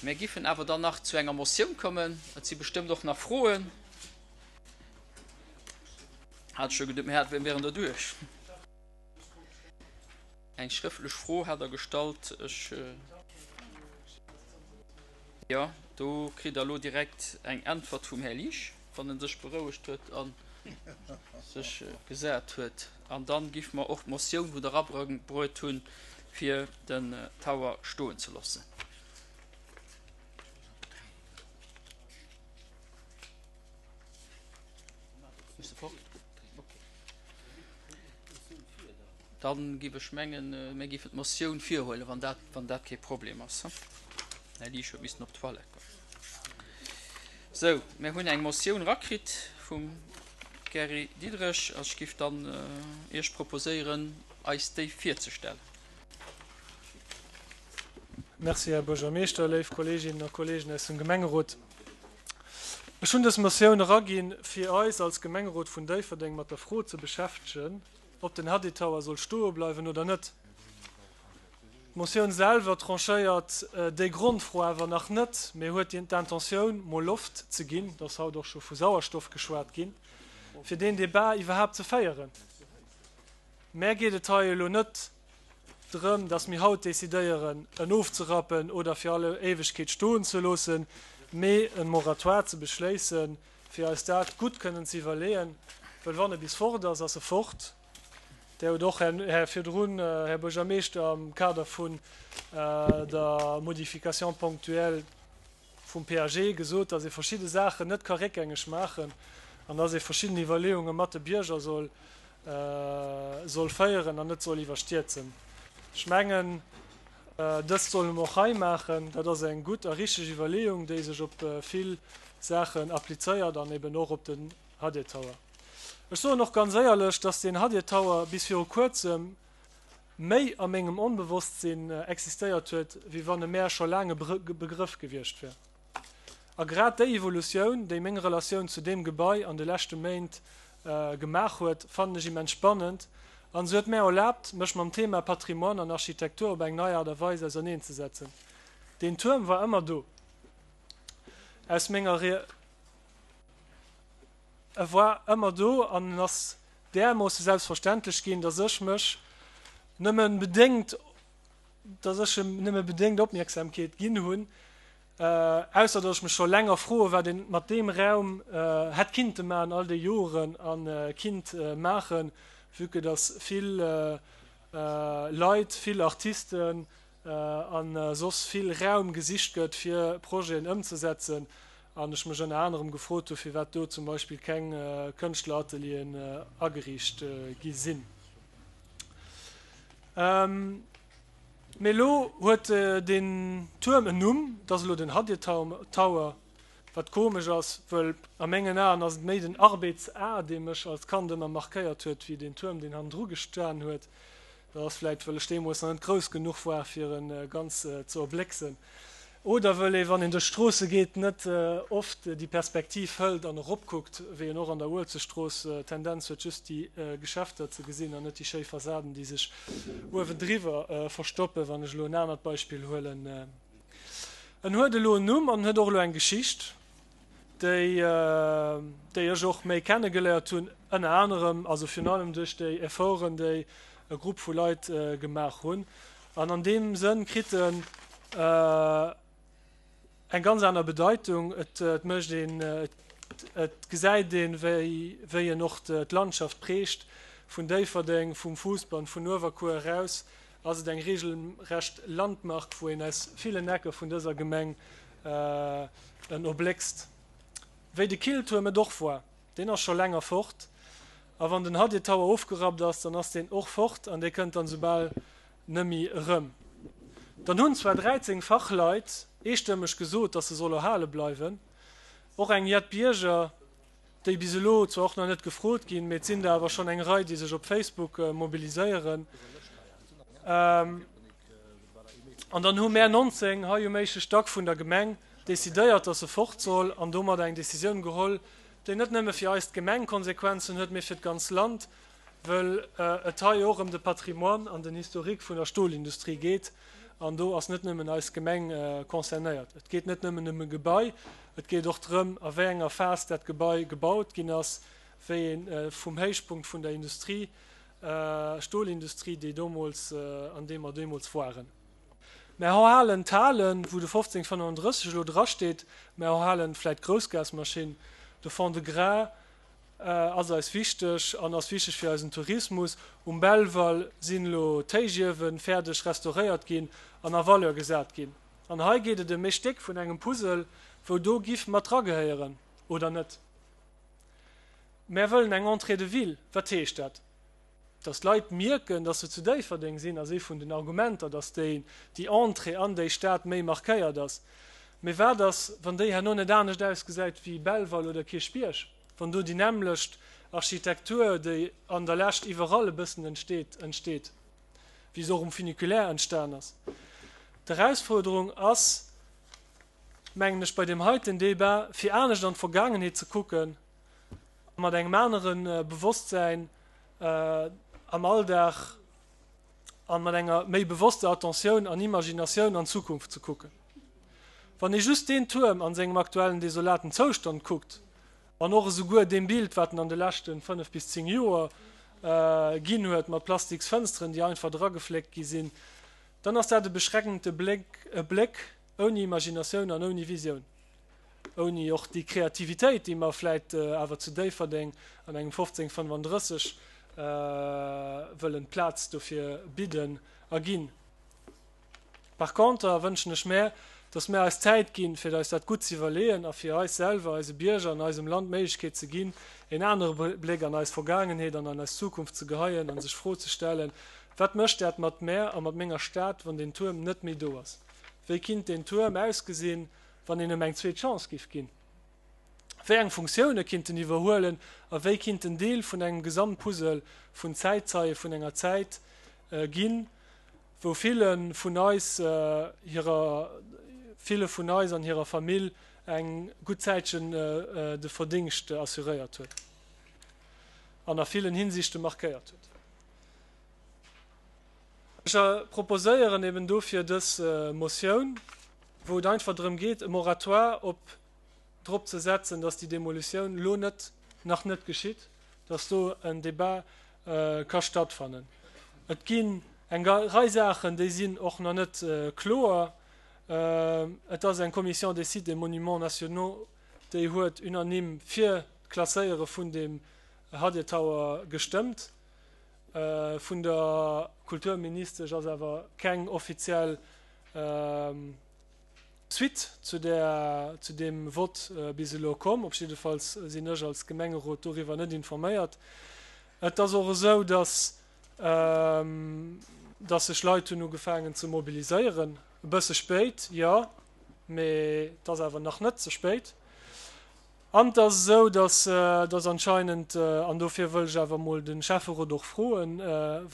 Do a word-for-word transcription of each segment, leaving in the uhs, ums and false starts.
Mir giffen awer dann nach zu enger Motioun kommen. Et si bestëmmt och nach Froen. Hat scho geduet, mir hätten, mir wären derduerch. Eng schrëftlech Fro hat Der gestallt. Ech, jo, do kritt Der elo direkt eng Äntwert vum Här Liesch, wann en sech berouegt huet a sech gesat huet. An dann giffe mer och d'Motioun, wou Der erabruet hunn, fir den Tower stoen ze loossen. Dann giff ech mengen, mir giffen d'Motioun virhuelen, wann dat, wann dat kee Problem ass. Här Liesch huet missen op d'Toilette goen. Sou, mir hunn eng Motioun erakritt vum Gary Diderich. Ech giff dann Iech proposéieren, eis déi virzestellen. Merci, Här Buergermeeschter, léif Kolleeginnen a Kolleegen aus dem Gemengerot. Ech hunn dës Motioun eraginn, fir eis als Gemengerot vun Déifferdeng mat der Fro ze beschäftegen, ob den Hadid Tower soll stoe bleiwen oder net. D'Motioun selwer tranchéiert déi Grondfro awer nach net, mee huet d'Intentioun, mol Loft ze ginn, et ass haut och scho vu Sauerstoff geschwat ginn, fir deen Debat iwwerhaapt ze féieren. Mär geet et hei elo net drëm, dass mir haut decidéieren, en ofzerappen oder fir alle Éiwegkeet stoen ze loossen, mee e Moratoire ze beschléissen, fir eis dat gutt kënnen ze iwwerleeën, well wann e bis fort ass, ass e fort. Där hutt och, Här, virdrun, Här Buergermeeschter, am Kader vun der Modification ponctuelle vum P A G gesot, dass ee verschidde Saachen net ka réckgängeg maachen an dass ee verschidden Iwwerleeunge mat de Bierger soll, soll féieren an net soll iwwerstierzen. Ech mengen, dëst solle mer och hei maachen. Dat ass eng gutt a richteg Iwwerleeung, déi sech op vill Saachen applizéiert an eben och op den Hadid Tower. Ech soen och ganz éierlech, dass den Hadid Tower bis viru kuerzem méi a mengem Onbewosstsinn existéiert huet, wéi wann e mär scho laang e Begrëff gewiescht wär. A grad déi Evolutioun, déi meng Relatioun zu deem Gebai an de leschte Méint gemaach huet, fannen ech immens spannend an se huet mär erlaabt, mech mam Thema Patrimoine an Architektur op eng nei Aart a Weis auserneenzesetzen. Deen Tuerm war ëmmer do. Aus menger Re. E war ëmmer do an en ass därmoosse selbstverständlech ginn, dass ech mech nëmme bedéngt, dass ech em nëmme bedéngt Opmierksamkeet ginn hunn, ausser dass ech mech scho länger froe wat een mat deem Raum hätt kinnte maachen all déi Joren a kinnt maachen, vue que dass vill Leit, vill Artisten a soss vill Raum gesicht gëtt fir Projeten ëmzesetzen an ech mech ënner anerem gefrot hu firwat do zum Beispill keng Kënschtleratelieren ageriicht gi sinn. Mee elo huet deen Tuerm en Numm, et ass elo den Hadid Tower, wat komesch ass, wëll a mengen Aen ass et méi den Arbeeds A, dee mech als Kand ëmmer markéiert huet, wéi deen Tuerm, deen hannendru gestan huet. Dat ass vläit, wëll ech deemools nach net grouss genuch war, fir en ganz ze erblécksen. Oder wëll ee, wann een duerch d'Stroosse geet, net oft déi Perspektiv hëlt an eropkuckt, wéi een och an der Uelzechtstrooss d'Tendenz huet, just déi Geschäfter ze gesinn an net déi schéi Fassaden, déi sech uewendriwwer verstoppen, wann ech elo en anert Beispill huelen. En huet elo en Numm an en huet och elo eng Geschicht, déi, déi ech och méi kennegeléiert hunn, ënner anerem, also virun allem duerch déi Efforten, déi e Grupp vu Leit gemaach hunn. An an deem Sënn kritt en eng ganz aner Bedeitung. Et mécht een, et gesäit een, wéi, wéi en och d'Landschaft prägt, vun Déifferdeng, vum Fousbann, vun Uewerkuer eraus ass et eng regelrecht Landmark, wou een aus villen Ecke vun dëser Gemeng en erbléckst. Wéi de Killtuerm et och war. Deen ass scho länger fort. A wann den Hadid Tower ofgerappt ass, dann ass deen och fort an dee kënnt dann soubal nëmmi erëm. Dann hunn zwar dräizéng Fachleit eestëmmeg gesot, dass se soll erhale bleiwen. Och eng jett Bierger, déi bis elo zwar och nach net gefrot ginn, mee et sinn der awer schonn eng Rei, déi sech op Facebook mobiliséieren. An dann hu mär nonzéng hei um éischte Stack vun der Gemeng decidéiert, dass se fort soll an domadder eng Decisioun geholl, déi net nëmme fir eis d'Gemeng Konsequenzen huet, mee fir d'ganz Land, wëll et hei och ëm de Patrimoine an den Historique vun der Stolindustrie geet An do ass net nëmmen eis Gemeng concernéiert. Et geet net nëmmen ëm e Gebai, et geet och drëm, a wéi enger Phas dat Gebai gebaut ginn ass, wéi ee vum Héichpunkt vun der Industrie, Stolindustrie, déi deemools, an deem mer deemools waren. Mer erhalen d'Halen, wou de fofzéng fënnefandrësseg elo drasteet, mer erhalen vläicht d'Groussgasmaschinn, de Fond-de-Gras ass eis wichteg an ass wichteg fir eisen Tourismus. Um Belval sinn elo d'Héichiewe fäerdeg restauréiert ginn an a Valeur gesat ginn. An hei geet et ëm ee Stéck vun engem Puzzle, wou do giff mat dragehéieren oder net. Mär wëllen eng Entrée de ville. Wat heescht dat? Dass d'Leit mierken, dass se zu Déifferdeng sinn, ass ee vun den Argumenter, dass déi Entrée an déi Stad méi markéiert ass. Mee wat ass, wann déi herno net anescht ausgesäit wéi Belval oder Kierchbierg, wann do déi nämmlecht Architektur, déi an der Lescht iwwerall e bëssen entsteet, entsteet, wéi se och um Funiculaire entstan ass? D'Erausfuerderung ass, mengen ech, bei deem heiten Débat, fir anescht an d'Vergaangenheet ze kucken a mat engem anere Bewosstsäin am Alldag an mat enger méi bewosster Attentioun an Imaginatioun an d'Zukunft ze kucken. Wann ee just deen Tuerm an sengem aktuellen desolaten Zoustand kuckt, an och esouguer deem Bild, wat en an de leschte fënnef bis zéng Joer ginn huet, mat plastiks Fënsteren, déi einfach dragefléckt gi sinn, dann ass dat e beschreckende Bléck, e Bléck ouni Imaginatioun an ouni Visioun. Ouni och déi Kreativitéit, déi mer vläit awer zu Déifferdeng an engem fofzéng fënnefandrësseg wëllen d'Plaz dofir bidden a ginn. Par conter wënschen ech mär, dass mär eis Zäit ginn, fir eis dat gutt ze iwwerleeën a fir eis selwer, eise Bierger an eisem Land d'Méiglechkeet ze ginn, een anere Bléck an eis Vergaangenheet an an eis Zukunft ze geheien a sech d'Fro ze stellen, Wat mécht dat mat mär a mat menger Stad, wann deen Tuerm net méi do ass? Wéi kinnt deen Tuerm ausgesinn, wann een em eng zweet Chance giff ginn? Wéi eng Funktioune kinnt en iwwerhuelen a wéi kinnt en Deel vun engem Gesamtpuzzle vun Zäitzeie vun enger Zäit ginn, wou ville vun eis hirer ville vun eis an hirer Famill eng gutt Zäitchen de Verdingscht assuréiert huet an a villen Hinsichte markéiert huet? Ech proposéieren eben dofir dës Motioun, wou et einfach drëm geet, e Moratoire op drop ze setzen, dass déi Demolitioun elo net, nach net geschitt, dass do en Débat ka stattfannen. Et ginn eng Rei Saachen, déi sinn och nach net kloer. Et ass eng Commission des sites et monuments nationaux, déi huet unanime fir d'Klasséiere vun deem Hadir Tower gestëmmt. Vun der Kulturministesch ass awer keng offiziell Suite zu där, zu deem Vott bis elo komm. Op jiddefalls sinn ech als Gemengerot doriwwer net informéiert. Et ass och esou, dass, dass sech Leit hunn ugefaangen ze mobiliséieren. E bësse spéit, jo, mee et ass awer nach net ze spéit. An et ass esou, dass, dass anscheinend, an dofir wëll ech awer emol de Schäfferot och froen,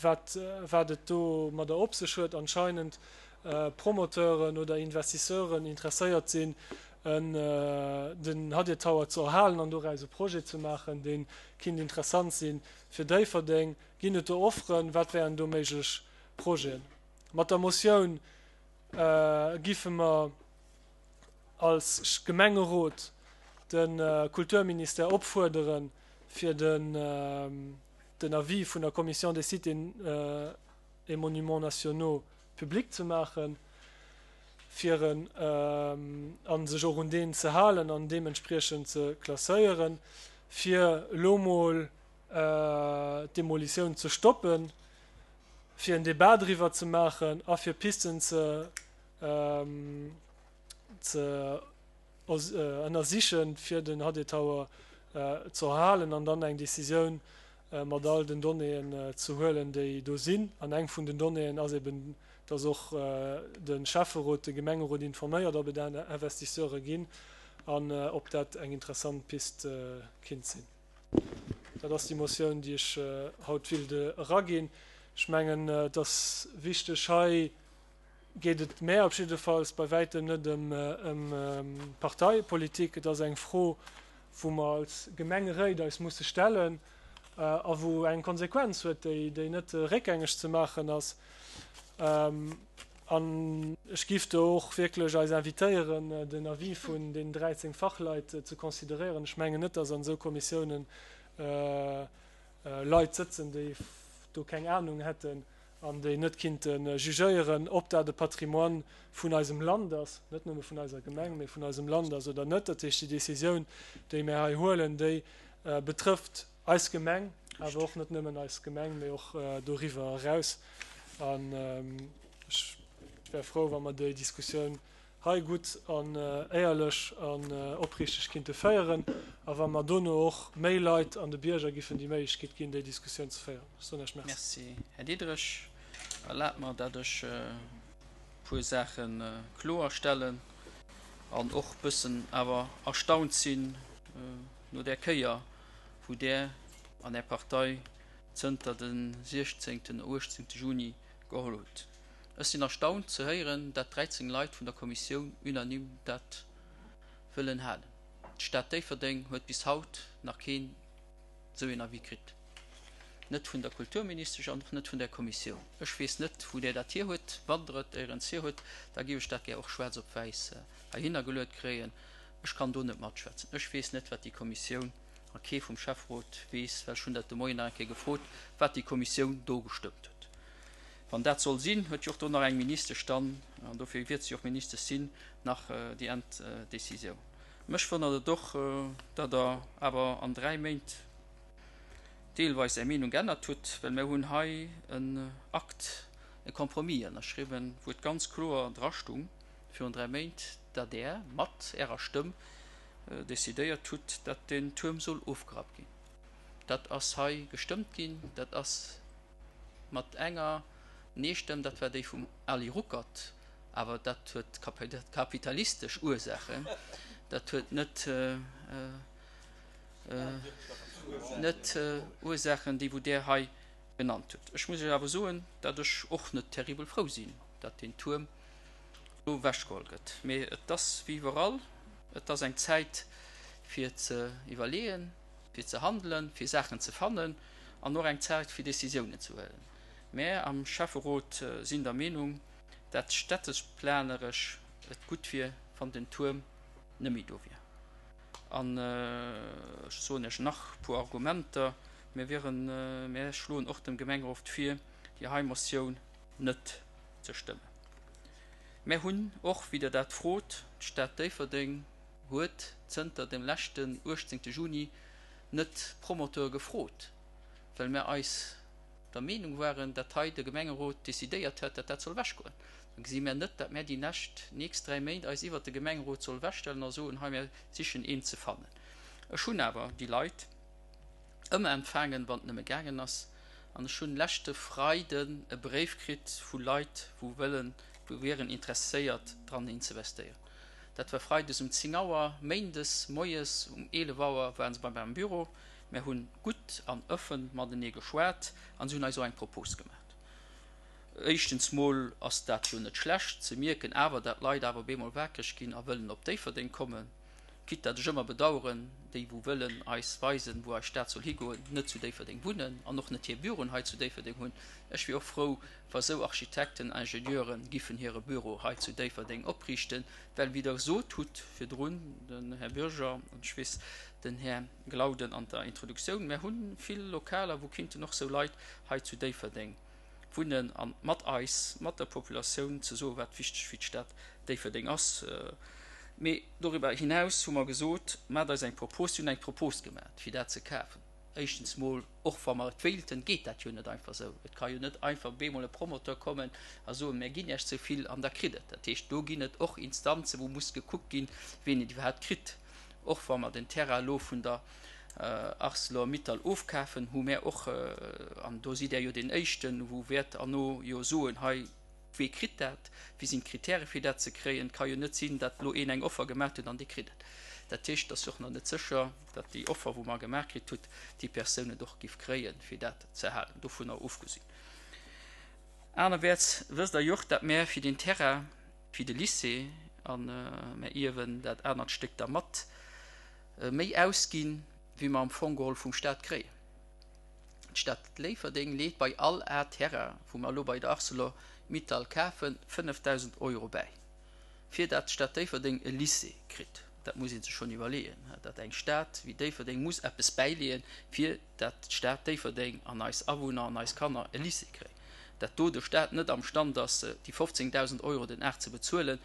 wat, wat et domadder op sech huet, anscheinend Promoteuren oder Investisseuren interesséiert sinn, en, den Hadir Tower ze erhalen an doraus e Projet ze maachen, dee kinnt interessant si fir Déifferdeng. Ginn et do Offeren? Wat wären do méiglech Projeten? Mat der Motioun giffe mer als Gemengerot de Kulturministère opfuerderen, fir den Avis vun der Commission des sites et monuments nationaux public ze maachen, fir en, a sech och un deen ze halen an deementspriechend ze klasséieren, fir elo mol d'Demolitioun ze stoppen, fir en Débat driwwer ze maachen a fir Pisten ze ze ënnersichen, fir den Hadir Tower ze erhalen an dann eng Décisioun mat all den Donnéeën ze huelen, déi do sinn. An eng vun den Donnéeën ass eben, dass och de Schäfferot de Gemengerot informéiert, ob et Investisseure ginn an ob dat eng interessant Pist kinnt sinn. Dat ass déi Motioun, déi ech haut willt eraginn. Ech mengen, et ass wichteg hei, geet et mär op jiddefalls bei wäitem net ëm Parteipolitik. Et ass eng Fro, wou mer als Gemengeréit eis musse stellen a wou eng Konsequenz huet, déi net réckgängeg ze maachen ass. An ech giff do och wierklech eis invitéieren, den Avis vun deenen dräizéng Fachleit ze consideréieren. Ech mengen net, dass an esou Kommissiounen Leit sëtzen, déi do keng Ahnung hätten an déi net kinnte jugéieren, ob dat e Patrimoine vun eisem Land ass, net nëmme vun eiser Gemeng, mee vun eisem Land ass oder net. Dat heescht, déi Décisioun, déi mir hei huelen, déi betrëfft eis Gemeng, awer och net nëmmen eis Gemeng, mee och doriwwer eraus. An ech wär frou, wa mer déi Diskussioun hei gutt an éierlech an opriichteg kinnte féieren a wa mer dono och méi Leit an de Bierger giffen déi Méiglechkeet ginn, déi Diskussioun ze féieren. Ech soen Iech Merci. Merci, Här Diderich. Erlaabt mer, dat ech e puer Saache kloerstellen an och bëssen awer erstaunt sinn no där Kéier, wou Der an Är Partei zënter de siechzéngten, uechtzéngte Juni geholl hutt. Ech sinn erstaunt ze héieren, dat dräizéng Leit vun der Kommissioun unanime dat wëllen halen. D'Stad Déifferdeng huet bis haut nach keen esou een Avis kritt, net vun der Kulturministesch an och net vun där Kommissioun. Ech weess net, wou Der dat hier hutt. Wann Der et éierens hier hutt, da géif ech dat gär och schwaarz op wäiss heihinner geluet kréien. Ech kann do net matschwätzen. Ech weess net, wat déi Kommissioun, a kee vum Schäfferot weess, well ech hunn dat de Moien nach eng Kéier gefrot, wat déi Kommissioun do gestëmmt huet. Wann dat soll sinn, huet jo och do nach eng Ministesch dann, an dofir wiert si och Ministesch sinn, nach déi Enddécisioun. Mech wonnert et och, datt Der awer an dräi Méint deelweis Är Meenung geännert hutt, well mir hunn hei en Acte, e Compromis ënnerschriwwen, wou et ganz kloer drastung virun dräi Méint, datt Der mat Ärer Stëmm decidéiert hutt, datt deen Tuerm soll ofgerappt ginn. Dat ass hei gestëmmt ginn. Dat ass mat enger Nee-Stëmm, dat war déi vum Ali Ruckert, awer dat huet kapitalistesch Ursaachen, dat huet net net Ursaachen, déi wou Der hei genannt hutt. Ech muss Iech awer soen, datt ech och net terribel frou sinn, datt deen Tuerm do ewechgeholl gëtt. Mee et ass wéi iwwerall, et ass eng Zäit fir ze iwwerleeën, fir ze handelen, fir Saachen ze fannen an och eng Zäit fir Décisiounen ze huelen. Mär am Schäfferot sinn der Meenung, dat städtesplaneresch et gutt wier, wann den Tuerm net méi do wier. An ech soen Iech nach e puer Argumenter. Mir wieren, mär schloen och dem Gemengerot vir, déi hei Motioun net ze stëmmen. Mär hunn och, wéi Der dat frot, d'Stad Déifferdeng huet zënter dem leschten uechtzéngte Juni net d'Promoteure gefrot, well mär eis der Meenung waren, dat hei de Gemengerot decidéiert hätt, dat dat soll ewechgoen. Da gesi mär net, dat mär déi näscht, nächst dräi Méint eis iwwert de Gemengerot soll ewechstellen a soen, hei mär sichen een ze fannen. Ech hunn awer déi Leit ëmmer empfaangen, wann et nëmme gaangen ass, an ech hunn leschte Freiden e Bréif kritt vu Leit, wou wëllen, wou wieren interesséiert dran inzevestéieren. Dat war freides um zéng Auer, méindes moies um eelef Auer waren se bei mir am Büro. Mär hunn gutt an ëffen matenee geschwat an se hunn eis och eng Propos gemaat. Éischtens mol ass dat jo net schlecht ze mierken awer, dat Leit awer op eemol wakereg ginn a wëllen op Déifferdeng kommen, quitte dat ech ëmmer bedaueren, déi wou wëllen eis weisen, wou eis Stad soll higoen, net zu Déifferdeng wunnen an och net hir Büroen hei zu Déifferdeng hunn. Ech wier och frou, wa sou Architekten, Ingenieuren giffen hire Büro hei zu Déifferdeng opriichten, well wéi Der gesot hutt virdrun, den Här Bürger an ech weess den Här Glauden an der Introduktioun, mär hu vill Lokaler, wou kinnten och sou Leit hei zu Déifferdeng wunnen a mat eis, mat der Populatioun ze soen, wat wichteg fir d'Stad Déifferdeng ass. Mee doriwwer hinaus hu mer gesot, Maacht eis eng Propos. Si hunn eng Propos gemaat, fir dat ze kafen. Éischtens mol, och wa mer et wéilten, geet dat jo net einfach esou. Et ka jo net einfach bemol e Promoteur kommen a soen, Mär ginn Iech esou vill an da kritt et. Dat heescht, do ginn et och Instanzen, wou muss gekuckt ginn, wien et iwwerhaapt kritt. Och wa mer den Terrain elo vun der Arcelor-Mittal ofkafen, hu mär och, an do sidd Där jo deen Éischten, wou wäert herno jo soen, hei, Wee kritt dat? Wéi sinn d'Kritäre fir dat ze kréien? Et ka jo net sinn, datt elo een eng Offer gemaach huet an dee kritt et. Dat heescht, et ass jo och nach net sécher, datt déi Offer, wou mer gemaach kritt hutt, déi Persoun et och giff kréien, fir dat ze halen. Dovunner ofgesinn. Anerwäerts wësst Der jo och, datt mär fir deen Terrain fir de Lycée, a mär ierwen dat anert Stéck da mat, méi ausginn, wéi mer am Fong geholl vum Stat kréien. D'Stad Léifferdeng leet bei all A Terrain, wou mer elo bei der Arcelor Mittal kafen, fënnefdausend Euro bäi, fir dat d'Stad Déifferdeng e Lycée kritt. Dat muss ee sech schonn iwwerleeën, dat eng Stad wéi Déifferdeng muss eppes bäileeën, fir dat d'Stad Déifferdeng an eis Awunner an eis Kanner e Lycée kréien. Dat do de Stat net am Stand ass, déi fofzéngdausend Euro den Ar ze bezuelen,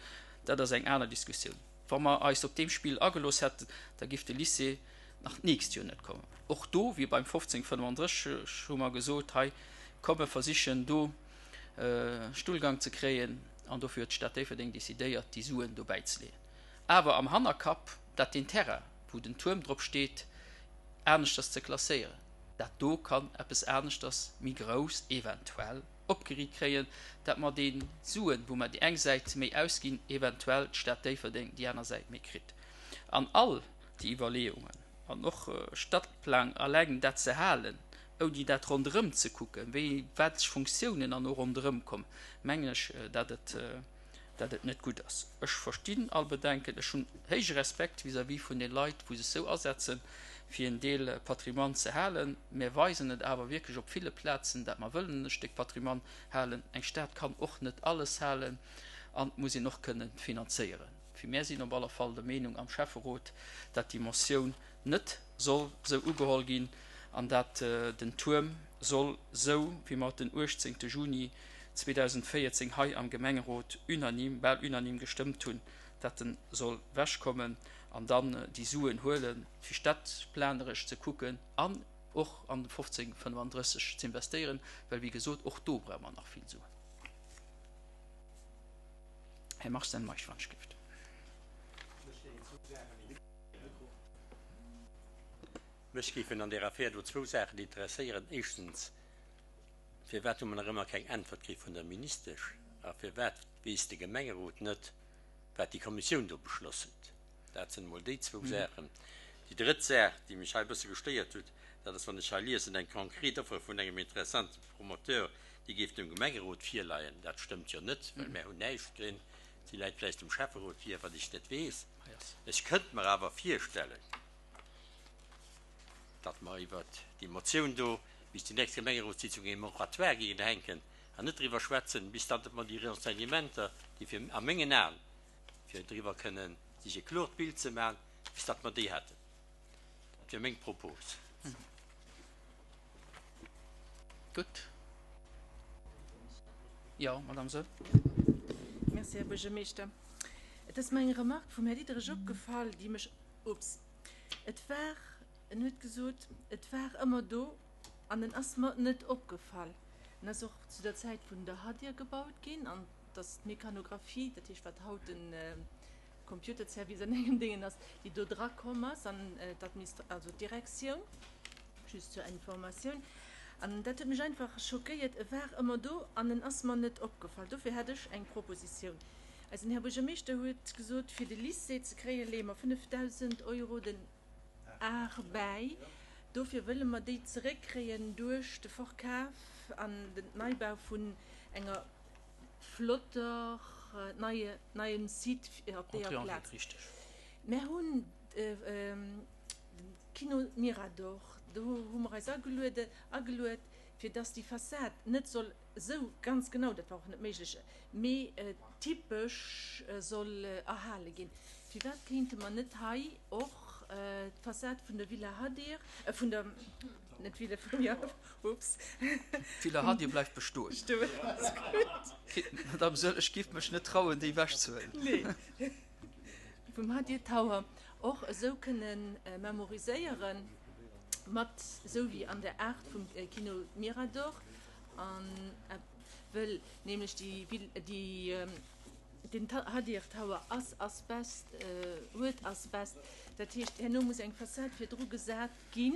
dat ass eng aner Diskussioun. Wa mer eis op deem Spill agelooss hätten, da giff de Lycée nach d'nächst Joer net kommen. Och do, wéi beim fofzéng fënnefandrësseg, hu mer gesot, hei, komm mer versichen do Stullgang ze kréien, an dofir huet d'Stad Déifferdeng decidéiert, déi Suen do bäizeleeën. Awer am Hannerkapp, dat deen Terrain, wou den Tuerm drop steet, aneschters ze klasséieren. Dat do kann eppes aneschters, méi grouss eventuell, opgeriit kréien, dat mer déi Suen, wou mer déi eng Säit méi ausginn, eventuell d'Stad Déifferdeng déi aner Säit méi kritt. An all déi Iwwerleeungen an och Stadplang eleng dat ze halen, ouni dat ronderëm ze kucken, wéi wat Funktiounen an och ronderëm kommen, mengen ech, dat et, dat et net gutt ass. Ech verstinn all Bedenken. Ech hunn héije Respekt vis-à-vis vun de Leit, wou sech sou asetzen, fir en Deel Patrimoine ze halen. Mir weisen et awer wierklech op ville Plazen, dat mer wëllen e Stéck Patrimoine halen. Eng Stad kann och net alles halen an et muss een och kënnen finanzéieren. Fir mär sinn op alle Fall der Meenung am Schäfferot, dat déi Motioun net soll sou ugeholl ginn an dat den Tuerm soll, sou wéi mer et den uechtzéngte Juni zweedausendvéierzéng hei am Gemengerot unanime, bal unanime gestëmmt hunn, dat en soll wechkommen an dann déi Suen huelen, fir stadplaneresch ze kucken an och an de fofzéng fënnefandrësseg ze investéieren, well wéi gesot, och do brauche mer nach vill Suen. Här Marcel Meisch, wann ech géif. Mech géifen an där Affär do zwou Saachen interesséieren. Éischtens, Firwat hu mer nach ëmmer keng Äntwert kritt vun der Ministesch? A firwat weess de Gemengerot net, wat déi Kommissioun do beschloss huet? Dat sinn emol déi zwou Saachen. Déi drëtt Saach, déi mech hei e bësse gestéiert huet, dat ass, wann ech hei liesen, eng konkret Offer vun engem interessante Promoteur, déi géif dem Gemengerot virleien. Dat stëmmt jo net, well mär hunn näischt krinn. Si läit vläicht dem Schäfferot vir, wat ech net weess. Ech kënnt mer awer virstellen, datt mer iwwert déi Motioun do bis déi nächst Gemengerotssitzung ee Moratoire géingen hänken an net driwwer schwätzen, bis datt mer déi Renseignementer, déi fir, a mengen Aen, fir driwwer kënnen sech e kloert Bild ze maachen, bis datt mer déi hätten. Dat wier meng Propos. Gutt. Jo, Madame Soll. Merci, Här Buergermeeschter. Et ass mer eng Remarque vum Här Diderich opgefall, déi mech, ups, et war, en huet gesot, et war ëmmer do an en ass mer net opgefall. En ass och zu der Zäit vun der Hadir gebaut ginn an et ass d'Mecanographie, dat heescht wat haut de Computerservice an engem Déngen ass, déi do dra komm ass an d'Administra-, also d'Direktioun, just zur Informatioun. An dat huet mech einfach schockéiert, e war ëmmer do an en ass mer net opgefall. Dofir hätt ech eng Propositioun. Eisen Här Buergermeeschter huet gesot, fir de Lycée ze kréien, leeë mer fënnefdausend Euro den Ar bäi. Dofir wëlle mer déi zeréckkréien duerch de Verkaf an den Neibau vun enger flotter neie neiem Site op deeër Plaz. Mär hunn de Kino Mirador, do hu mer eis ageluede ageluet, fir dass déi Fassad net soll esou ganz genau, dat war och net méiglech, mee typesch soll erhale ginn. Firwat kéinte mer net hei och d'Fassad vun der Villa Hadir, vun der, net Villa, jo, ups. D'Villa Hadir bleift bestoen. Bestoen, ass gutt. Madame Soll, ech géif mech net trauen, déi ewechzehuelen. Nee. Vum Hadir Tower och esou kënne memoriséieren, mat esou wéi an der Aart vum Kino Mirador, an wëll nämlech déi Vill, déi, den Hadir Tower ass Asbest, huet Asbest, dat heescht herno muss eng Fassad virdru gesat ginn,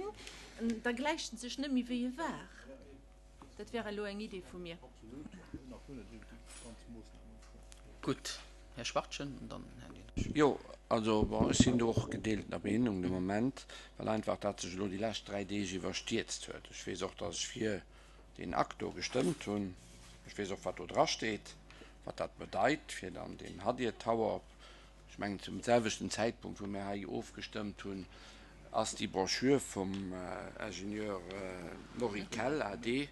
da gläicht en sech net méi wéi e war. Dat wär elo eng Idee vu mir. Gutt, Här Schwachtgen an dann Här Diderich. Jo, also bon, ech sinn do och gedeeltener Meenung de Moment, well einfach dat sech elo déi lescht dräi Deeg iwwerstierzt huet. Ech weess och, datt ech fir deen Akt do gestëmmt hunn. Ech weess och, wat do drasteet, wat dat bedeit, fir dann deen Hadir Tower op, ech mengen zum selwechten Zäitpunkt, wou mir hei ofgestëmmt hunn, ass déi Broschür vum Ingenieur Maury Kell, A D,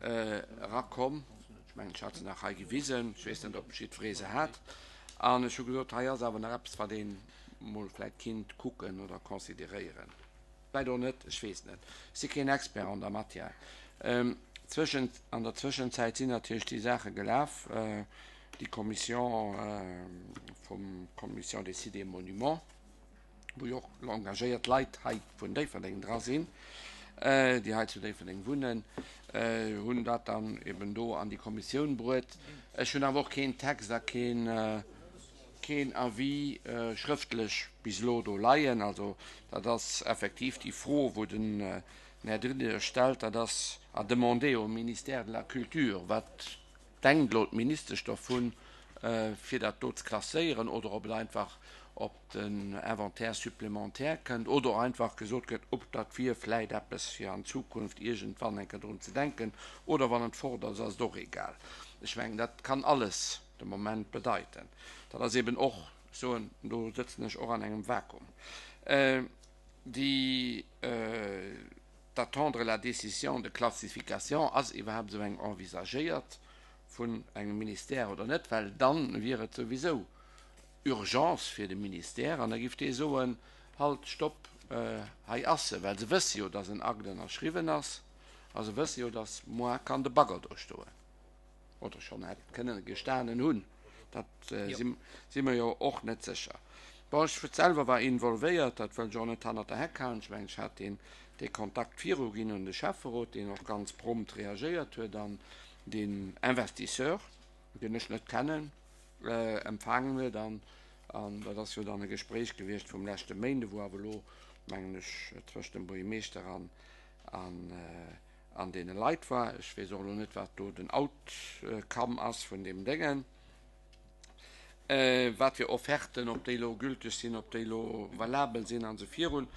erakomm. Ech mengen, ech hat se nach hei gewisen. Ech weess net, ob jiddweree se hat. An ech hu gesot, hei ass awer nach eppes, wat ee mol vläicht kinnt kucken oder consideréieren. Vläicht och net, ech weess net. Ech si keen Expert an der Matière. Zwëschen, an der Zwëschenzäit sinn natierlech déi Saache gelaf, déi Commission vum Commission des Sites et Monuments, wou jo och engagéiert Leit hei vun Déifferdeng dra sinn, déi hei zu Déifferdeng wunnen, hunn dat dann eben do an déi Kommissioun bruet. Ech hunn awer och keen Text a keen, keen Avis schrëftlech bis elo do leien. Also dat ass effektiv déi Fro, wou den Här Diderich stellt, dat ass à demander au ministère de la Culture. Wat denkt elo d'Ministesch dovun, fir dat do ze klasséieren, oder ob et einfach op den Inventaire supplémentaire kënnt oder einfach gesot gëtt, ob dat wier vläit eppes fir an Zukunft iergendwann eng Kéier drun ze denken, oder wann et fort ass, ass et och egal. Ech mengen, dat kann alles de Moment bedeiten. Dat ass eben och, ech soen, do sëtzen ech och an engem Vakuum, déi d'attendre la décision de classification, ass iwwerhaapt esou eng envisagéiert vun engem Ministère oder net, well dann wier et souwisou Urgence fir de Ministère an da giff dee soen, Halt, stopp, hei ass se, well se wësse jo, dass en Akt ënnerschriwwen ass a se wësse jo, dass moar kann de Bagger do stoen oder schonn hätt kënnen gestanen hunn. Dat si mer jo och net sécher. Bon, ech selwer war involvéiert, dat wëll ech och net hannert der Heck halen. Ech mengen, ech hat deen dee Kontakt viru ginn un de Schäfferot, deen och ganz prompt reagéiert huet an deen Investisseur, deen ech net kennen, empfaangen huet. An an dat ass jo dann e Gespréich gewiescht vum leschte Méinde, wou awer elo, mengen ech, tëscht dem Buergermeeschter an an an deene Leit war. Ech weess och elo net, wat do den Outcome ass vun deem Déngen, wat fir Offerten, ob déi elo gülteg sinn, ob déi elo valabel sinn an esou virun.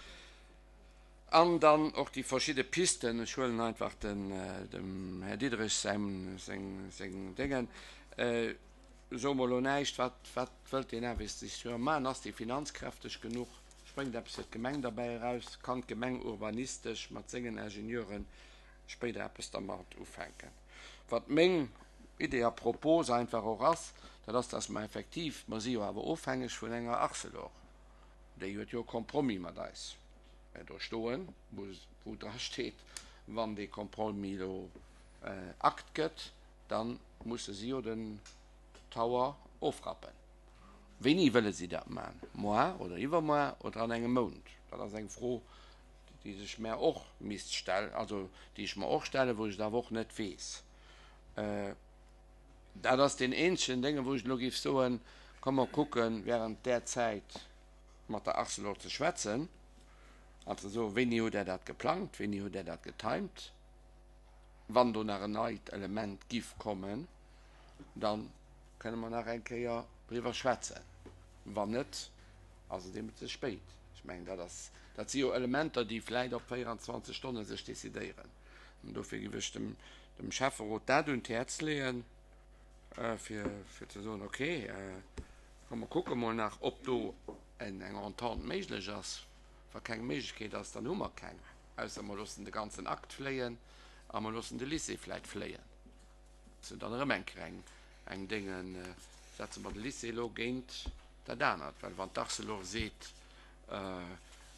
An dann och déi verschidde Pisten, ech huelen einfach den, dem Här Diderich säin, seng, seng Déngen, soe mer elo näischt, wat, wat wëllt deen Investisseur maachen, ass dee finanzkräfteg genuch, spréngt eppes fir d'Gemeng derbäi eraus, kann d'Gemeng urbanistesch mat sengen Ingenieuren spéider eppes dermat ufänken. Wat meng Idee a Propos einfach och ass, dat ass, dass mer effektiv, mer si jo awer ofhängeg vun enger Arcelor, déi huet jo e Compromis mat eis do stoen, wou dra steet, wann dee Compromis elo Akt gëtt, da musse si jo den Tower ofrappen. Wéini wëlle si dat maachen? Moar oder iwwermoar oder an engem Mount? Dat ass eng Fro, déi sech mär och misst stellen, also déi ech mer och stellen, wou ech et awer och net weess. Dat ass deen eenzegen Dénge, wou ech elo géif soen, komm mer kucken, während där Zäit mat der Arcelor ze schwätzen an ze soen, wéini hutt Der dat geplangt, wéini hutt Der dat getimt? Wann do nach en neit Element giff kommen, da kënne mer nach eng Kéier driwwer schwätzen. Wann net, ass et eben ze spéit. Ech mengen, dat ass, dat si jo Elementer, déi vläicht op véierundzwanzeg Stonne sech decidéieren. An dofir giff ech dem, dem Schäfferot dat un d'Häerz leeën, fir, fir ze soen, okay, komm mer kucke mol nach, ob do eng Entente méiglech ass. Wa keng Méiglechkeet ass, dann hu mer keng, ausser mer loossen de ganzen Akt fléien a mer loossen de Lycée vläit fléien. Dat ass dann erëm eng Kéier eng, eng Déngen, setze mer de Lycée elo géint dat anert, well wann d'Arcelor seet,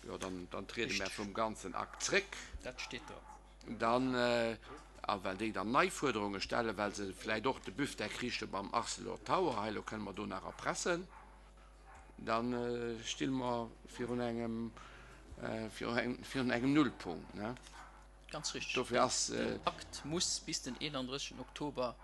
jo dann, dann triede mer vum ganzen Akt zréck. Dat steet do. Dann, a well déi dann nei Fuerderunge stellen, well se vläit och de Büftek riichte beim Arcelor Tower, hei elo kënne mer do nach erpressen, da sti mer virun engem, virun engem Nullpunkt. Ganz richtig. Dofir ass. Den Akt muss bis den eenanddrëssegsten Oktober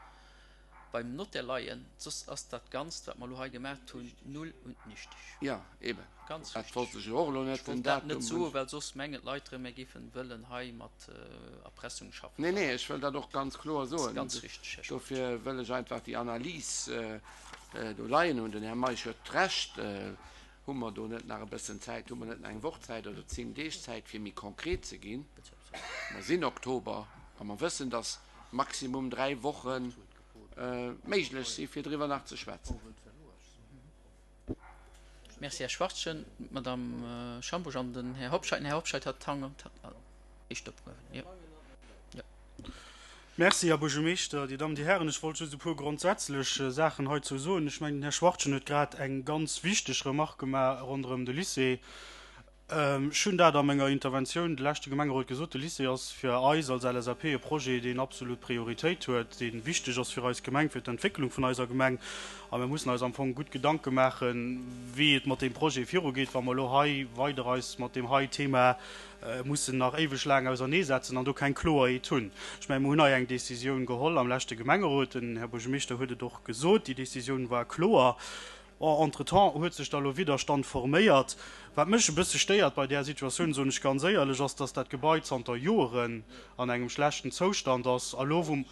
beim Notaire leien, soss ass dat Ganzt, wat mer elo hei gemaat hunn, null und nichtig. Jo, eben. Ganz Dat richtig. wollt ech jo och elo net Ech wollt den dat net Datum. soen, well soss mengen d'Leit erëm, mir géifen wëllen hei mat Erpressung schaffen. Nee, nee, ech wëll dat och ganz kloer soen. Ganz richtig, Här Schmit. Dofir wëll ech einfach déi Analys do leien hunn. Den Här Meisch huet Recht. Hu mer do net nach e bëssen Zäit, hu mer net nach eng Woch Zäit oder zéng Deeg Zäit, fir méi konkret ze ginn? Mer sinn Oktober a mer wëssen, dass maximum dräi Woche méiglech si fir driwwer nach ze schwätzen. Merci, Här Schwachtgen. D'Madame Schambusch an den Här Hobscheit. Den Här Hobscheit hat d'Hand éischt opgehuewen. Jo. Jo. Merci, Här Buergermeeschter, Dir Dammen, Dir Hären. Ech wollt just e puer grondsätzlech Saachen heizou soen. Ech mengen, den Här Schwachtgen huet grad eng ganz wichteg Remarque gemaach ronderëm de Lycée. Ech hunn dat a menger Interventioun de leschte Gemengerot gesot, De Lycée ass fir eis als LSAP e Projet, deen absolut Prioritéit huet, dee wichteg ass fir eis Gemeng, fir d'Entwécklung vun eiser Gemeng. A mir mussen eis am Fong gutt Gedanke maachen, wéi et mat deem Projet virugeet, wa mer elo hei weider eis mat deem hei Thema mussen nach éiweg laang auserneesetzen an do keng Kloerheet hunn. Ech mengen, mer hunn hei eng Décisioun geholl am leschte Gemengerot, den Här Buergermeeschter huet et och gesot, déi Décisioun war kloer. Bon, entretemps huet sech da lo Widderstand forméiert. Wat mech e bësse stéiert bei där Situatioun, soen ech ganz éierlech, ass, dass dat Gebai zanter Joeren an engem schlechten Zoustand ass. A lo, wou,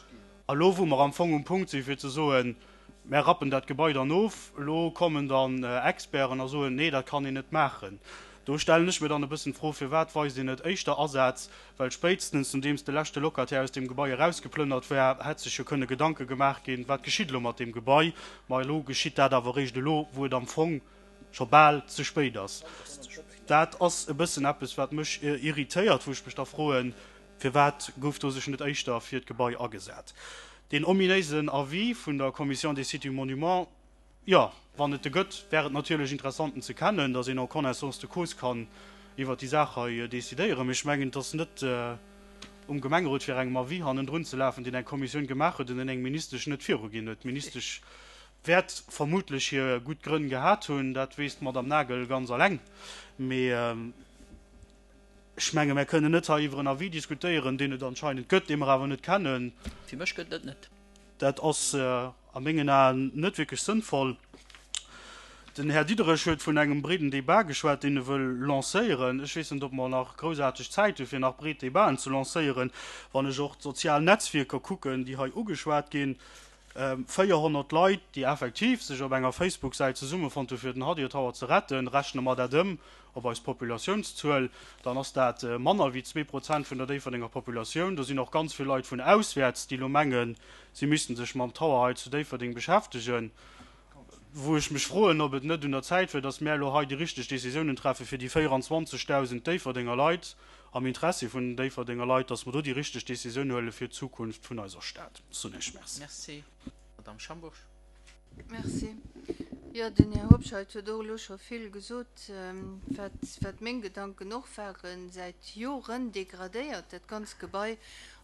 a lo wou mer am Fong um Punkt sinn, fir ze soen, Mär rappen dat Gebai dann of, elo kommen dann Experten a soen, Nee, dat kann een net maachen. Do stellen ech mir dann e bëssen d'Fro, Firwat weist een net éischter Asaz? Well spéitstens nodeems de leschte Locataire aus deem Gebai erausgeplënnert war, hätt sech jo kënne Gedanke gemaach ginn, Wat geschitt elo mat deem Gebai? Ma elo geschitt dat awer eréischt elo, wou et am Fong scho bal ze spéit ass. Dat ass e bëssen eppes, wat mech irritéiert, wou ech mech da froen, Firwat gouf do sech net éischter fir d'Gebai agesat? Deen ominéisen Avis vun der Commission des sites et monuments, Jo, wann et e gëtt, wär et natierlech interessant en ze kennen, datt een en connaissance de cause kann iwwert déi Saach hei decidéieren. Mee ech mengen, et ass net um Gemengerot fir engem Avis hannendrun ze lafen, deen eng Kommissioun gemaach huet an deen eng Ministesch net viruginn huet. D'Ministesch wäert vermutlech hir gutt Grënn gehat hunn, dat weess d'Madame Nagel ganz alleng. Mee ech menge mär kënnen net hei iwwer en Avis diskutéieren, deen et anscheinend gëtt, dee mer awer net kennen. Fir mech gëtt et net. Dat ass a mengen Aen net wierklech sënnvoll. Den Här Diderich huet vun engem breeden Débat geschwat, deen e wëll lancéieren. Ech weess net, ob mer nach groussaarteg Zäit hu fir nach breet Débaten ze lancéieren. Wann ech och d'sozial Netzwierker kucken, déi hei ugeschwat ginn, véierhonnert Leit, déi effektiv sech op enger Facebook-Säit zesummefonnt hu fir den Hadir Tower ze retten, rechne mer dat ëm op eis Populatiounszuel, dann ass dat manner wéi zwee Prozent vun der Déifferdenger Populatioun. Do sinn och ganz vill Leit vun auswäerts, déi elo mengen, si missten sech mam Tower hei zu Déifferdeng beschäftegen, wou ech mech froen, ob et net un der Zäit wier, dass mär elo hei déi richteg Décisiounen treffe fir déi véieranzwanzegdausend Déifferdenger Leit, am Interessi vun den Déifferdenger Leit, dass mer do déi richteg Décisioun huele fir d'Zukunft vun eiser Stad. Ech soen Iech Merci. Merci, Madamm Schambourg. Merci. Jo, den Här Hobscheit huet och elo scho vill gesot, wat, wat meng Gedanken och waren. Säit Joren degradéiert dat ganz Gebai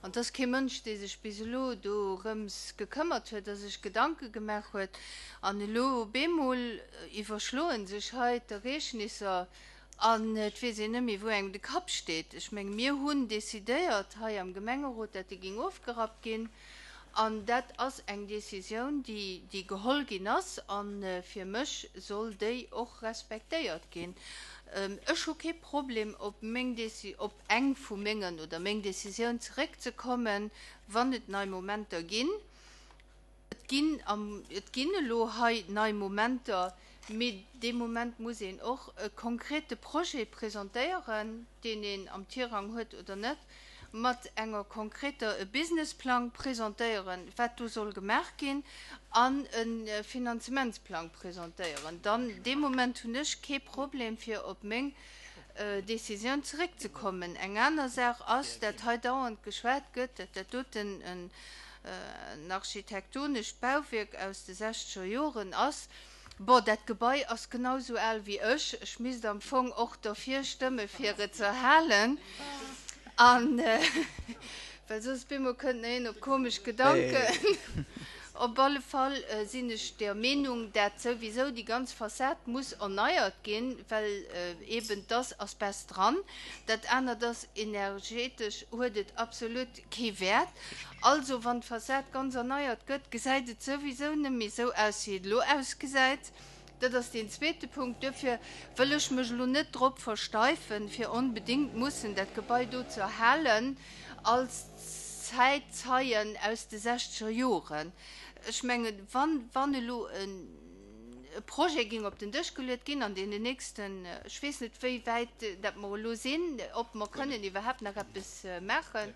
an et ass kee Mënsch, dee sech bis elo dorëms gekëmmert huet a sech Gedanke gemaach huet. An elo op eemol iwwerschloe sech hei d'Ereegnisser An et weess een net méi, wou engem de Kapp steet. Ech menge mir hunn decidéiert hei am Gemengerot, dat dee géing ofgerappt ginn. An dat ass eng Décisioun, déi, déi geholl ginn ass. A fir mech soll déi och respektéiert ginn. Ech hu kee Problem, op meng Déci-, op eng vu mengen oder meng Décisioun zeréckzekommen, wann et nei Momenter ginn. Et ginn am, et ginn elo hei nei Momenter, mee dee Moment muss een och e konkrete Projet presentéieren, deen een am Tirang huet oder net, mat enger konkreter, e Businessplang presentéieren, wat do soll gemaach ginn, an e Finanzementsplang presentéieren. Dann, dee Moment hunn ech kee Problem, fir op meng Décisioun zeréckzekommen. Eng aner Saach ass, dat hei dauernd geschwat gëtt, dat dat doten en architektonescht Bauwierk aus de sechzeger Joren ass. Bon, dat Gebai ass genau sou al wéi ech. Ech misst am Fong och derfir stëmme fir et ze erhalen. An well soss bemol kënnt nach een op komesch Gedanken. Op alle Fall sinn ech der Meenung, dat souwisou déi ganz Fassad muss erneiert ginn, well eben 't ass Asbest dran. Dat anert ass, energetesch huet et absolut kee Wäert. Also wann d'Fassad ganz erneiert gëtt, gesäit et souwisou net méi esou aus, wéi et elo ausgesäit. Dat ass deen zweete Punkt. Duerfir wëll ech mech elo net drop versteifen, fir onbedéngt mussen dat Gebai do ze erhalen als Zäitzeien aus de sechzeger Joren. Ech mengen, wann, wann elo e Projet géing op den Dësch geluet ginn an deenen nächsten, ech weess net wéi wäit dat mer elo sinn, ob mer kënnen iwwerhaapt nach eppes maachen,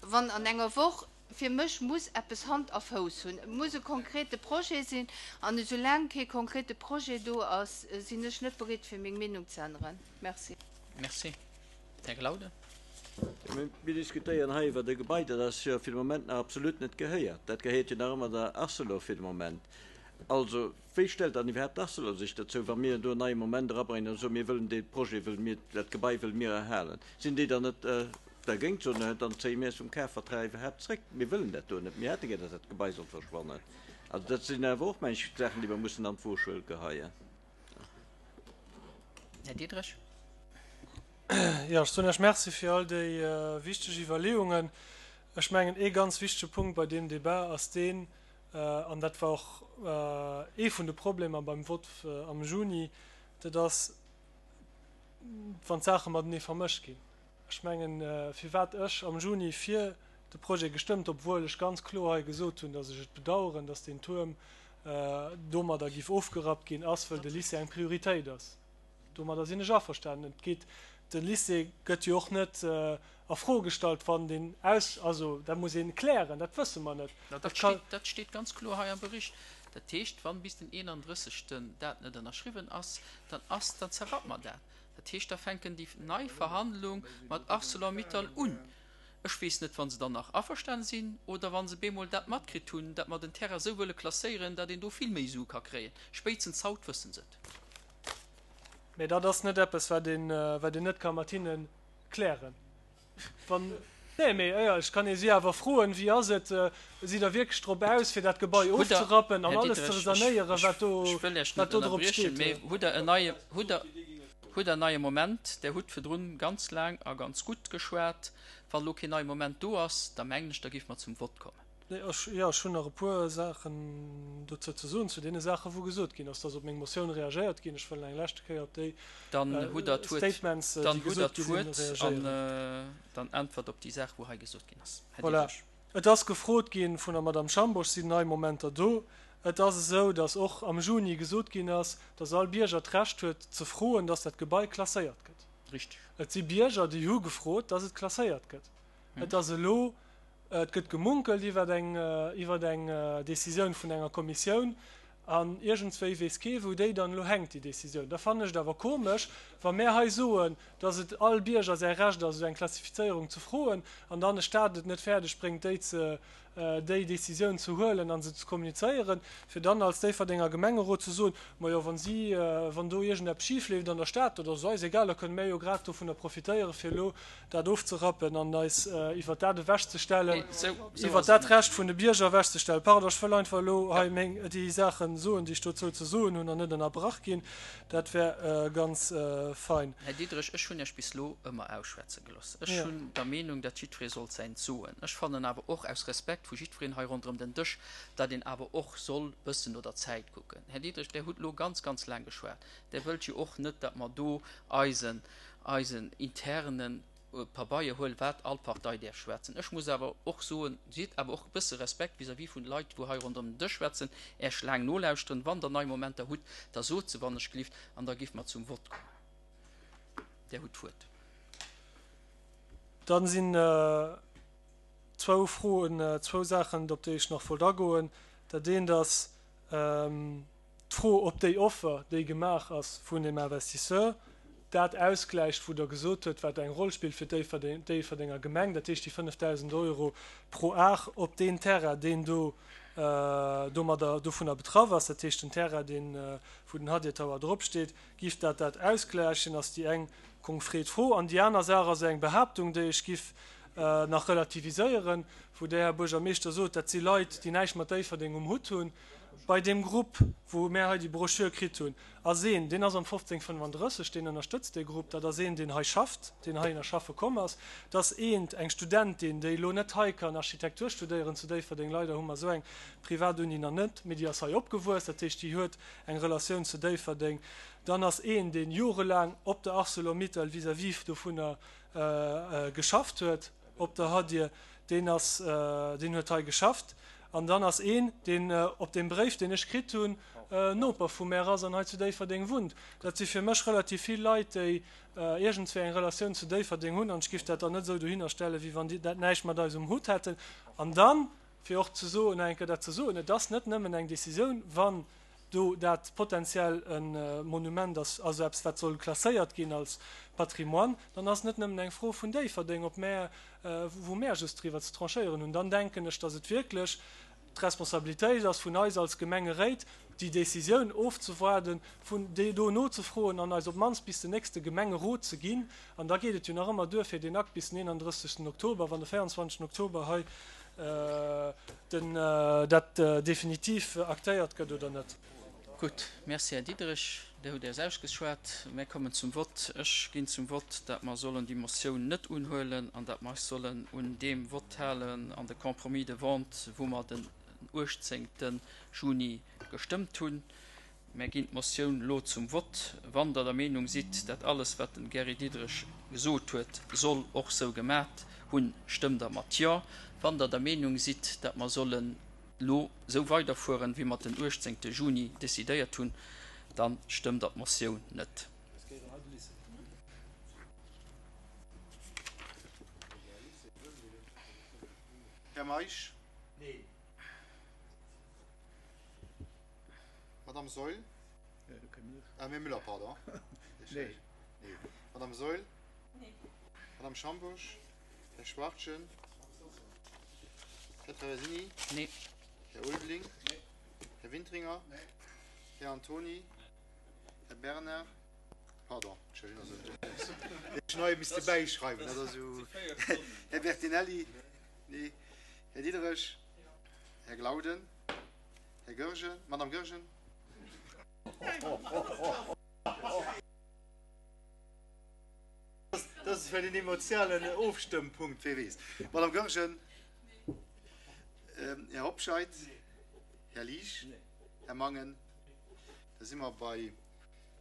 wann an enger Woch, fir mech muss eppes Hand a Fouss hunn, et muss e konkrete Projet sinn, an esoulaang kee konkrete Projet do ass, sinn ech net bereet fir meng Meenung ze änneren. Merci. Merci. Här Glauden. Mir diskutéieren hei iwwer e Gebai, dat eis jo fir de Moment nach absolut net gehéiert. Dat gehéiert jo nach ëmmer der Arcelor fir de Moment. Also, wéi stellt dann iwwerhaapt d'Arcelor sech dozou, wa mir do en neie Moment erabréngen an soen, mir wëllen dee Projet, wëlle mir, dat Gebai wëlle mir erhalen? Sinn déi dann net dergéint, soen, dann zéie mir eis vum Kafvertrag iwwerhaapt zréck, mir wëllen dat do net, mir hätte gär, datt dat Gebai soll verschwannen? Also dat sinn awer och, meng ech, Saachen, déi mer mussen an d'Woschuel geheien. Här Diderich. Jo, ech soen Iech Merci fir all déi wichteg Iwwerleeungen. Ech mengen, ee ganz wichtege Punkt bei deem Débat ass deen, an dat war och ee vun de Problemer beim Vott am Juni, dat ass, wann d'Saache matenee vermëscht ginn. Ech mengen, firwat ech am Juni fir de Projet gestëmmt, obwuel ech ganz kloer hei gesot hunn, datt ech et bedauern, datt deen Tuerm domadder giff ofgerappt ginn, ass, wëll de Lycée eng Prioritéit ass. Domadder sinn ech averstanen. Et geet, de Lycée gëtt jo och net a Fro gestallt, wann deen aus, also dat muss ee klären, dat wësse mer net. Dat steet, dat steet ganz kloer hei am Bericht. Dat heescht, wann bis den eenandrëssegsten dat net ënnerschriwwen ass, dann ass, dann zerrappe mer dat. Dat heescht, da fänken déi nei Verhandlung mat Arcelor-Mittal un. Ech weess net, wa se dann nach averstane sinn oder wa se bemol dat matkritt hunn, dat mer den Terrain esou wëlle klasséieren, dat een do vill méi Sue ka kréien. Spéitstens haut wësse se et. Mä dat ass net eppes, wat een, wat een net ka mat hinne klären. Wann, nee, mee éierlech, kann ee si awer froen, Wéi ass et, sidd Der wierklech drop aus, fir dat Gebai Hutt Der, ofzerappen an Här alles ze Diderich, ech, sanéieren, ech, wat do, ech wëll Iech wat net do drop ënnerbriechen, steet? mee hutt Der en neie, hutt Der, hutt Der en neie Moment? Der hutt virdrun ganz laang a ganz gutt geschwat. Wann elo keen neie Moment do ass, da mengen ech, da géife mer zum Vott kommen. Nee, ech, jo, ech hunn nach e puer Saachen dozou ze soen, zu deene Saachen, wou gesot ginn ass, dass op meng Motioun reagéiert ginn. Ech wëll eng leschte Kéier op déi Dann hutt Der d'Wuert, Statements, déi dann hutt Der gesot gi sinn, d'Wuert an reagéieren. dann äntwert op déi Saach, wou hei gesot ginn ass. Här Voilà. Diderich. Et ass gefrot gi vun der Madame Schambourg, sinn nei Momenter do? Et ass esou, dass och am Juni gesot ginn ass, dass all Bierger d'Recht huet ze froen, dass dat Gebai klasséiert gëtt. Richtig. Et si Bierger, déi hu gefrot, dass et klasséiert gëtt. Et ass elo, et gëtt gemunkelt iwwer eng, iwwer eng Décisioun vun enger Kommissioun an iergendswéi weess kee wou déi dann elo hänkt, déi Décisioun. Da fannen ech et awer komesch, wa mär hei soen, dass et all Bierger säi Recht ass, esou eng Klassifizéierung ze froen an dann e Stat et net fäerdeg bréngt, déi ze, déi Décisioun ze huelen a se ze kommunizéieren, fir dann als Déifferdenger Gemengerot ze soen, Majo, wa si, wann do iergendeppes schif leeft an der Stad, dat ass eis egal, da kënne mär jo grad dovunner profitéieren, fir elo dat ofzerappen an eis iwwert dat ewechzestellen, iwwert dat Recht vun de Bierger ewechzestellen. Pardon, ech wëll einfach elo hei meng, déi Saache soen, déi ech dozou ze soen hunn, an net ënnerbrach ginn. Dat wär ganz fein. Här Diderich, ech hunn Iech bis elo ëmmer ausschwätze gelooss. Ech hunn der Meenung, datt jiddweree sollt säint soen. Ech fannen awer och aus Respekt vu jiddwereen hei ronderëm den Dësch, datt een awer och soll bëssen no der Zäit kucken. Här Diderich, Der hutt elo ganz, ganz laang geschwat. Der wëllt jo och net, datt mer do eisen, eisen internen Pabeier huelen, wat all Partei däerf schwätzen. Ech muss awer och soen, sidd awer och e bësse Respekt vis-à-vis vun de Leit, wou hei ronderëm den Dësch schwätzen, Äech laang nolauschteren. Wann Der nei Momenter hutt, da sot se, wann ech gelift, an da géife mer zum Vott kommen. Der hutt d'Wuert. Dann sinn zwou Froen, zwou Saachen, op déi ech nach wollt agoen. Dat eent ass d'Fro, ob déi Offer, déi gemaach ass vun dem Investisseur, dat ausgläicht, wou Der gesot hutt, wat eng Roll spillt fir d'Déifferdenger Gemeng, dat heescht déi fënnefdausend Euro pro Ar op deen Terrain, deen do domadder dovunner betraff ass, dat heescht den Terrain, deen, wou den Hadir Tower dropsteet, giff dat dat ausgläichen, ass déi eng konkret Fro. An déi aner Saach ass eng Behaaptung, déi ech giff nach relativiséieren, wou Der, Här Buergermeeschter, sot, dat si Leit, déi näischt mat Déifferdeng um Hutt hunn. Bei deem Grupp, wou mär hei déi Broschür kritt hunn, ass een, deen ass am fofzéng fënnefandrësseg, deen ënnerstëtzt dee Grupp. Dat ass een, deen hei schafft, deen heihinner schaffe komm ass. Dat ass eent, eng Studentin, déi elo net hei kann Architektur studéieren zu Déifferdeng, leider hu mer esou eng Privatuni nach net, mee déi ass hei opgewuess, dat heescht, déi huet eng Relatioun zu Déifferdeng. Dann ass een, dee jorelaang op der Arcelor-Mittal vis-à-vis dovunner geschafft huet, op der Hadir, deen ass, deen huet hei geschafft. An dann ass een, deen op deem Bréif, deen ech kritt hunn, Noper vu mär ass an hei zu Déifferdeng wunnt. Dat si fir mech relativ vill Leit, déi iergendswéi eng Relatioun zu Déifferdeng hunn. An ech géif dat dann net esou dohinner stellen, wéi wann déi dat näischt mat eis um Hutt hätten. An dann, fir och ze soen, nach eng Kéier dat ze soen, et ass net nëmmen eng Décisioun, wann do dat potenziell e Monument ass, also eppes wat soll klasséiert ginn als Patrimoine, dann ass net nëmmen eng Fro vun Déifferdeng, ob mär, wou mär just driwwer ze tranchéieren hunn. Dann denken ech, datt et wierklech d'Responsabilitéit ass vun eis als Gemengeréit, déi Décisioun ofzewaarden, vun déi do nozefroen an eis op d'mannst bis den nächste Gemengerot ze ginn. An da geet et jo nach ëmmer duer fir deen Akt bis den eenanddrëssegsten Oktober, wann de véierundzwanzegsten Oktober hei den dat definitiv aktéiert gëtt oder net. Gutt, Merci, Här Diderich. Dir hutt Äis ausgeschwat. Mär kommen zum Vott. Ech ginn zum Vott, dat mer sollen déi Motioun net unhuelen an dat mer eis sollen un deem Vott halen an de Compromis de vente, wou mer den uechtzéngte Juni gestëmmt hunn. Mär ginn d'Motioun elo zum Vott. Wann Der der Meenung sidd, dat alles, wat den Gary Diderich gesot huet, soll och sou gemat hunn, stëmmt Der mat Jo. Wann Der der Meenung sidd, dat mer sollen elo sou weiderfueren, wéi mer et den uechtzéngte Juni decidéiert hunn, da stëmmt Der d'Motioun net. Här Meisch? Neen. Madame Saeul? Ah, Mme Muller, pardon. Nee. Madame Saeul? Nee. Madame Schambourg? Här Schwachtgen? Här Traversini? Nee. Här Ulveling? Nee. Här Wintringer? Nee. Här Antoni? Här Bernard? Pardon, ech hunn hei misste bäischreiwen, dat ass esou. Här Bertinelli? Nee. Här Diderich? Här Glauden? Här Goergen? Madame Goergen? Dat ass vläicht en emotionalen Ofstëmmpunkt, wee weess. Madame Goergen? Här Hobscheit? Här Liesch? Här Mangen? Da si mer bei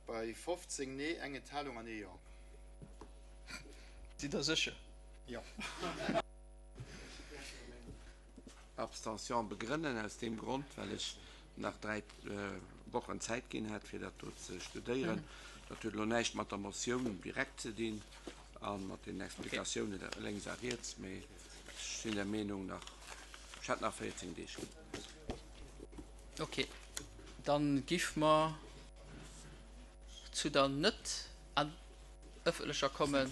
bei fofzéng Nee, eng Enthalung an ee Jo. Sidd Der sécher? Jo. Abstention begrënnen aus deem Grond, well ech nach dräi Wochen Zäit ginn hätt, fir dat do ze studéieren. Dat huet elo näischt mat der Motioun direkt ze dinn a mat den Explikatiounen lénks a riets, mee ech sinn der Meenung nach, ech hätt nach véierzéng Deeg. Okay, dann giff mer zu der net ëffentlecher kommen.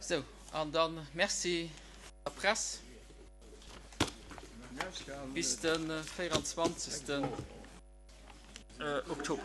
Sou, an dann Merci der Press. Bis de véieranzwanzegsten Oktober.